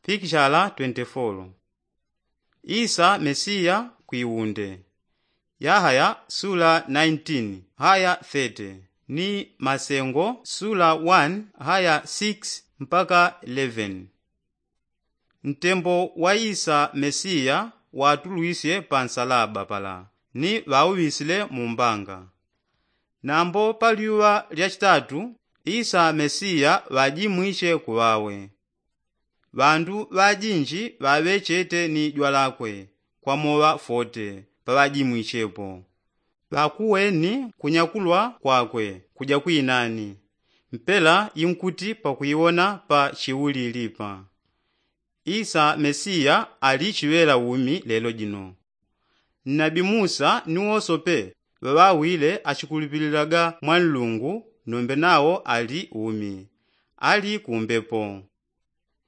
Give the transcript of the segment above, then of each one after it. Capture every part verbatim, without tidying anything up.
Pikishala twenty-four. Isa mesiya kwiwunde. Yahaya sula nineteen haya thirty, ni masengo sula one haya six mpaka eleven. Ntembo wa isa mesiya watulwisye pa nsalaba pala, ni ŵauŵisile mu mbanga. Nambo pa lyuŵa lya chitatu isa mesiya ŵajimwishe kuŵawe. Ŵandu ŵajinji ŵaŵechete ni jwalakwe kwa moŵa fote paŵajimwishepo. Ŵakuweni kunyakulwa kwakwe kuja kwinani, mpela inkuti pakwiwona pa chiulilipa. Isa mesiya ali chiŵela umi lelo jino. Nnabi musa ni wosope ŵaŵawile achikulupililaga mwa nlungu, nombe nawo ali umi, ali kumbepo.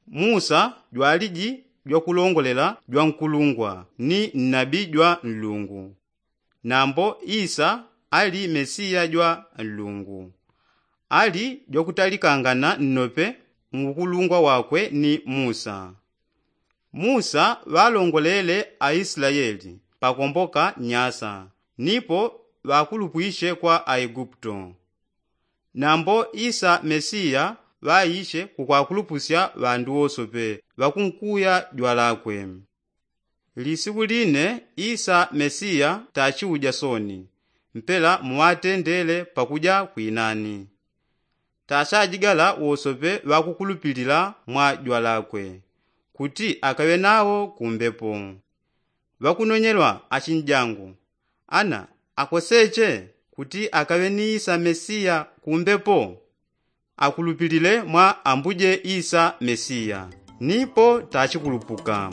Musa jwaliji jwakulongolela jwankulungwa ni nnabi jwa nlungu. Nambo isa ali mesiya jwa nlungu, ali jwakutalikangana nnope mu ukulungwa wakwe ni musa. Musa ŵalongolele aislaeli pakomboka nyasa, nipo ŵakulupwishe kwa aiguputo. Nambo isa mesiya ŵaishe kukwakulupusya ŵandu wosope ŵakunkuya jwalakwe. Lisiku line isa mesiya tachiuja soni, mpela muŵatendele pakuja kwinani. Tachajigala wosope ŵakukulupilila mwa jwalakwe, kuti akaŵe nawo kumbepo. Ŵakunonyelwa achinjangu, ana akoseche kuti akaŵe ni isa mesiya kumbepo? Akulupilile mwa ambuje isa mesiya, nipo tachikulupuka.